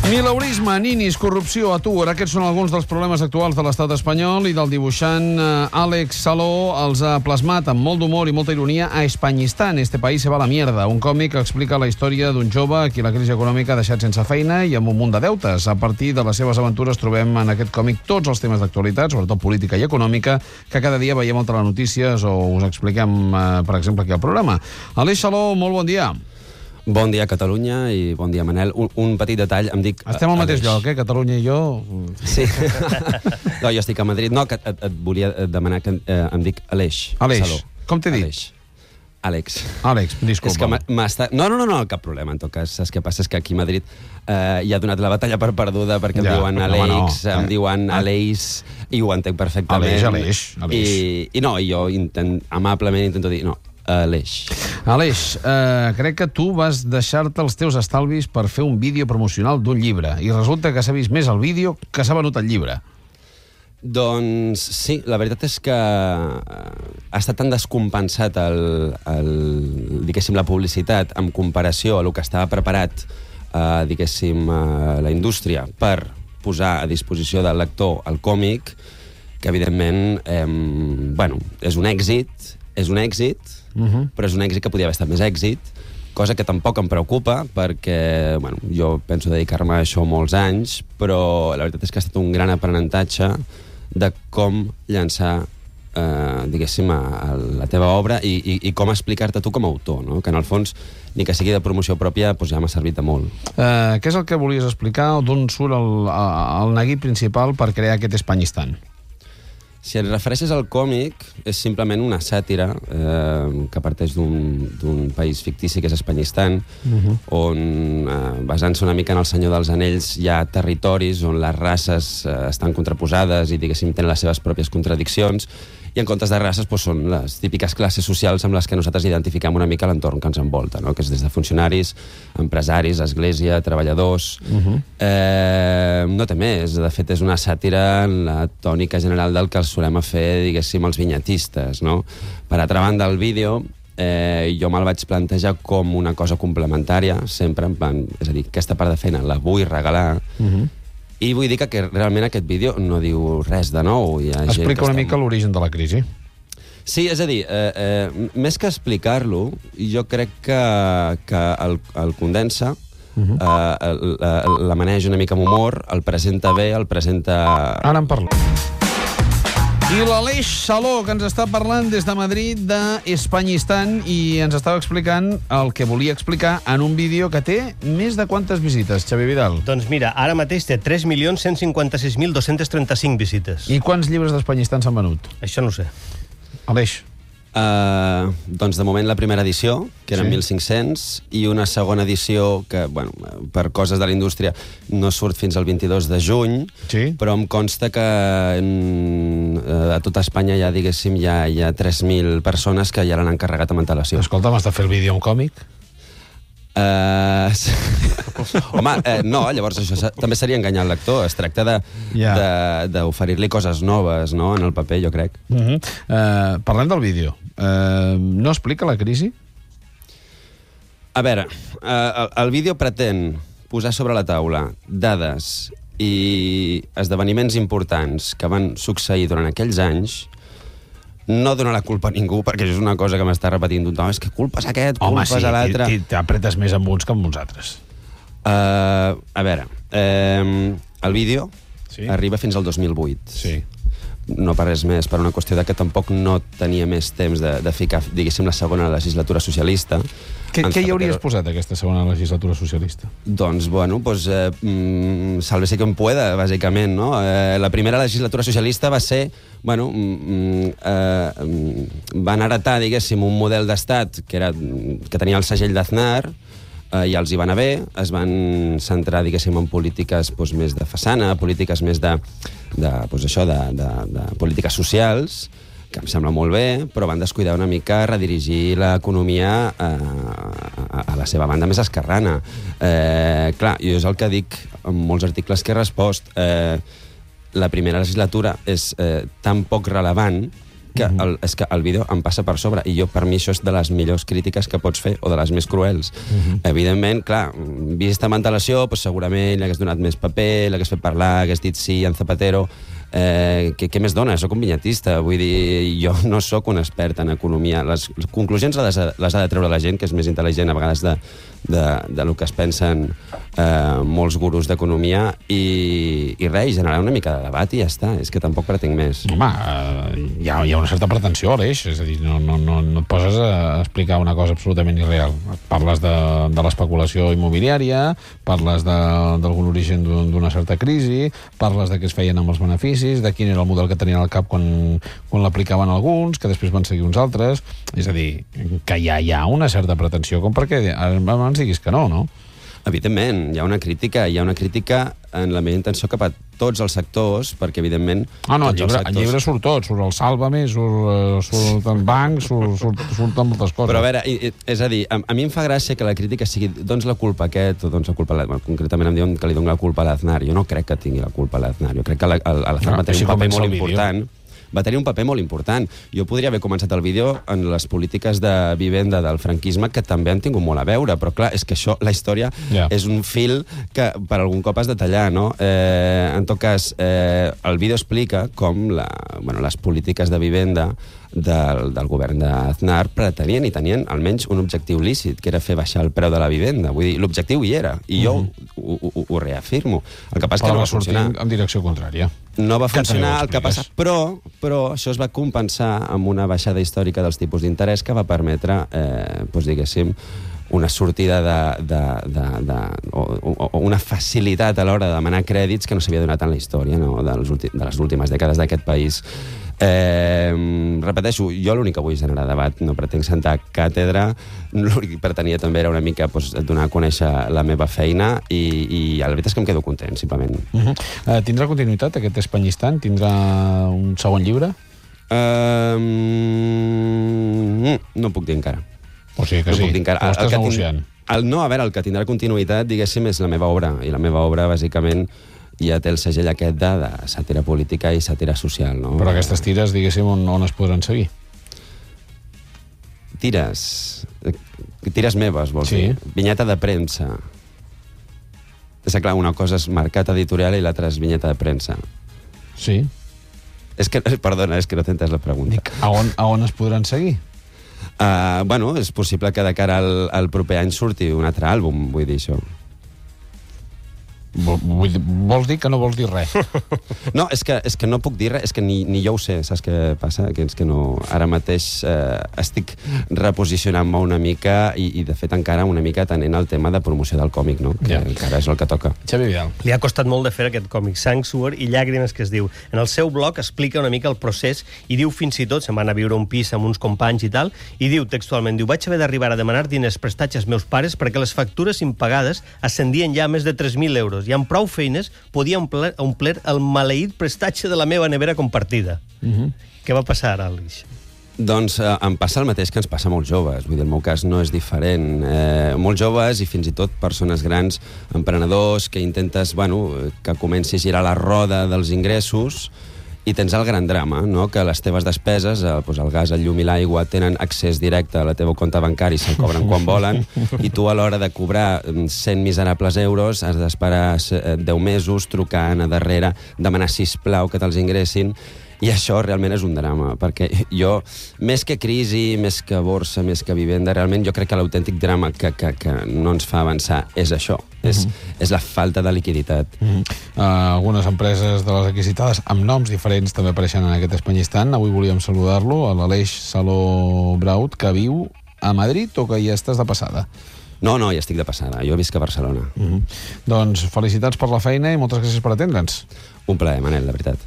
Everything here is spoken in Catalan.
Mileurisme, ninis, corrupció, atur. Aquests són alguns dels problemes actuals de l'estat espanyol i del dibuixant Àlex Saló els ha plasmat amb molt d'humor i molta ironia a Españistán, este país se va a la mierda, un còmic que explica la història d'un jove a qui la crisi econòmica ha deixat sense feina i amb un munt de deutes. A partir de les seves aventures trobem en aquest còmic tots els temes d'actualitat, sobretot política i econòmica, que cada dia veiem a telenotícies o us expliquem, per exemple, aquí al programa. Àlex Saló, molt bon dia. Bon dia, Catalunya, i bon dia, Manel. Un petit detall, em dic... Estem al mateix lloc, Catalunya i jo. Sí. No, jo estic a Madrid. No, que et volia demanar que em dic Aleix. Aleix. Com t'he dit? Àlex. Àlex, disculpa. No, cap problema, en tot cas. Saps què passa? És que aquí a Madrid ja ha donat la batalla per perduda perquè em diuen Àlex, em diuen Aleix, i ho entenc perfectament. Aleix. I no, jo amablement intento dir no. Aleix, crec que tu vas deixar-te els teus estalvis per fer un vídeo promocional d'un llibre i resulta que s'ha vist més el vídeo que s'ha venut el llibre. Doncs sí, la veritat és que ha estat tan descompensat diguéssim, la publicitat en comparació a el que estava preparat diguéssim, la indústria per posar a disposició del lector el còmic, que evidentment és un èxit, però és un èxit que podia haver estat més èxit, cosa que tampoc em preocupa perquè jo penso dedicar-me a això molts anys, però la veritat és que ha estat un gran aprenentatge de com llançar diguéssim la teva obra i com explicar-te tu com a autor, no? Que en el fons ni que sigui de promoció pròpia ja m'ha servit de molt. Què és el que volies explicar o d'on surt el neguit principal per crear aquest Españistán? Si et refereixes al còmic, és simplement una sàtira que parteix d'un país fictici que és Españistán, on, basant-se una mica en el Senyor dels Anells, hi ha territoris on les races estan contraposades i, diguéssim, tenen les seves pròpies contradiccions, i en comptes de races són les típiques classes socials amb les que nosaltres identifiquem una mica l'entorn que ens envolta, no? Que és des de funcionaris, empresaris, església, treballadors... No té més. De fet, és una sàtira en la tònica general del que els solem fer, diguéssim, els vinyetistes, no? Per altra banda, el vídeo jo me'l vaig plantejar com una cosa complementària, sempre en plan... És a dir, aquesta part de feina la vull regalar, i vull dir que realment aquest vídeo no diu res de nou. Explica una mica l'origen de la crisi. Sí, és a dir, més que explicar-lo, jo crec que el condensa, la maneja una mica amb humor, el presenta bé, el presenta... Ara en parlo. I l'Aleix Saló, que ens està parlant des de Madrid d'Españistán i ens estava explicant el que volia explicar en un vídeo que té més de quantes visites, Xavi Vidal? Doncs mira, ara mateix té 3.156.235 visites. I quants llibres d'Españistán s'han venut? Això no ho sé. Aleix. Doncs de moment la primera edició, que eren 1.500, i una segona edició que, per coses de la indústria no surt fins al 22 de juny, però em consta que a tota Espanya hi ha 3.000 persones que ja l'han encarregat amb antelació. Escolta, m'has de fer el vídeo en còmic? Home, no, llavors això també seria enganyar el lector. Es tracta d'oferir-li coses noves, no?, en el paper, jo crec. Parlem del vídeo. No explica la crisi? A veure, el vídeo pretén posar sobre la taula dades i esdeveniments importants que van succeir durant aquells anys. No donar la culpa a ningú, perquè això és una cosa que m'està repetint tothom. És que culpa és aquest, culpa és l'altre. Home, sí, t'apretes més amb uns que amb uns altres. A veure, el vídeo arriba fins al 2008. Sí. No per res més, per una qüestió de que tampoc no tenia més temps de ficar, diguéssim, la segona legislatura socialista. Què hi hauries posat, aquesta segona legislatura socialista? Doncs, sálvese quien pueda, bàsicament, no? La primera legislatura socialista va ser, van heretar, diguéssim, un model d'estat que tenia el segell d'Aznar, i els hi va anar bé, es van centrar, diguéssim, en polítiques més de façana, polítiques més de polítiques socials, que em sembla molt bé, però van descuidar una mica redirigir l'economia a la seva banda més esquerrana. Clar, jo és el que dic en molts articles que he respost. La primera legislatura és tan poc rellevant que és que el vídeo em passa per sobre, i per mi això és de les millors crítiques que pots fer, o de les més cruels. Evidentment, clar, vista amb antelació, doncs segurament l'hagués donat més paper, l'hagués fet parlar, hagués dit sí en Zapatero. Què més dona? Soc un vinyetista, vull dir, jo no sóc un expert en economia. Les conclusions les ha de treure la gent, que és més intel·ligent a vegades de lo que es pensen molts gurus d'economia, i res, generar una mica de debat i ja està, és que tampoc pretenc més. Home, hi ha una certa pretensió, Aleix, és a dir, no et poses a explicar una cosa absolutament irreal. Parles de l'especulació immobiliària, parles d'algun origen d'una certa crisi, parles de què es feien amb els beneficis, de quin era el model que tenien al cap quan l'aplicaven alguns, que després van seguir uns altres. És a dir, que hi ha una certa pretensió, com perquè abans diguis que no? Evidentment, hi ha una crítica en la meva intenció cap a tots els sectors, perquè evidentment... No, el llibre surt tot, surt el Sálvame, surt el banc, surten moltes coses. Però a veure, és a dir, a mi em fa gràcia que la crítica sigui doncs la culpa a aquest, o doncs la culpa a l'Aznar. Concretament em diuen que li dono la culpa a l'Aznar. Jo no crec que tingui la culpa a l'Aznar. Jo crec que l'Aznar va tenir un paper molt important. Va tenir un paper molt important. Jo podria haver començat el vídeo en les polítiques de vivenda del franquisme, que també han tingut molt a veure, però clar, és que això, la història, és un fil que per algun cop has de tallar, no? En tot cas, el vídeo explica com les polítiques de vivenda del govern d'Aznar pretenien i tenien almenys un objectiu lícit, que era fer baixar el preu de la vivenda. Vull dir, l'objectiu hi era, i jo ho reafirmo. El que passa és que no va funcionar. En direcció contrària. No va funcionar, el que passa... Però això es va compensar amb una baixada històrica dels tipus d'interès que va permetre, diguéssim, una sortida o una facilitat a l'hora de demanar crèdits que no s'havia donat en la història, no? De les últimes dècades d'aquest país. Repeteixo, jo l'únic que vull generar debat, no pretenc sentar càtedra, l'únic que pretenia també era una mica donar a conèixer la meva feina, i la veritat és que em quedo content, simplement. Tindrà continuïtat aquest Espanyistan? Tindrà un segon llibre? No puc dir encara. O sigui que sí, ho estàs negociant. No, a veure, el que tindrà continuïtat, diguéssim, és la meva obra, i la meva obra, bàsicament, ja té el segell aquest de sàtira política i sàtira social, no? Però aquestes tires, diguéssim, on es podran seguir? Tires meves, vols dir? Vinyeta de premsa. És clar, una cosa és mercat editorial i l'altra és vinyeta de premsa. Sí. Perdona, és que no t'he entès la pregunta. A on es podran seguir? És possible que de cara al proper any surti un altre àlbum, vull dir això. Vols dir que no vols dir res? No, és que no puc dir res, és que ni jo ho sé, saps què passa? Que és que no... Ara mateix estic reposicionant-me una mica i de fet encara una mica atenent al tema de promoció del còmic, no? Que encara és el que toca. Xavi Vidal. Li ha costat molt de fer aquest còmic, Sang, Suor i Llàgrimes, que es diu. En el seu blog explica una mica el procés i diu fins i tot, se'n van a viure un pis amb uns companys i tal, i diu textualment, vaig haver d'arribar a demanar diners prestats als meus pares perquè les factures impagades ascendien ja a més de 3.000 euros i amb prou feines podia omplir el maleït prestatge de la meva nevera compartida. Què va passar ara, Aleix? Doncs em passa el mateix que ens passa a molts joves. Vull dir, el meu cas no és diferent. Molts joves i fins i tot persones grans, emprenedors, que intentes, que comenci a girar la roda dels ingressos, i tens el gran drama, no? Que les teves despeses, el gas, el llum i l'aigua, tenen accés directe a la teva compte bancari, se'l cobren quan volen, i tu a l'hora de cobrar 100 miserables euros has d'esperar 10 mesos, trucant a darrere, demanar sisplau que te'ls ingressin, i això realment és un drama, perquè jo, més que crisi, més que borsa, més que vivenda, realment jo crec que l'autèntic drama que no ens fa avançar és això, és la falta de liquiditat. Algunes empreses de les aquí citades amb noms diferents també apareixen en aquest Espanyistan. Avui volíem saludar-lo, a l'Aleix Saló Braut, que viu a Madrid o que ja estàs de passada? No, ja estic de passada. Jo visc a Barcelona. Doncs felicitats per la feina i moltes gràcies per atendre'ns. Un plaer, Manel, la veritat.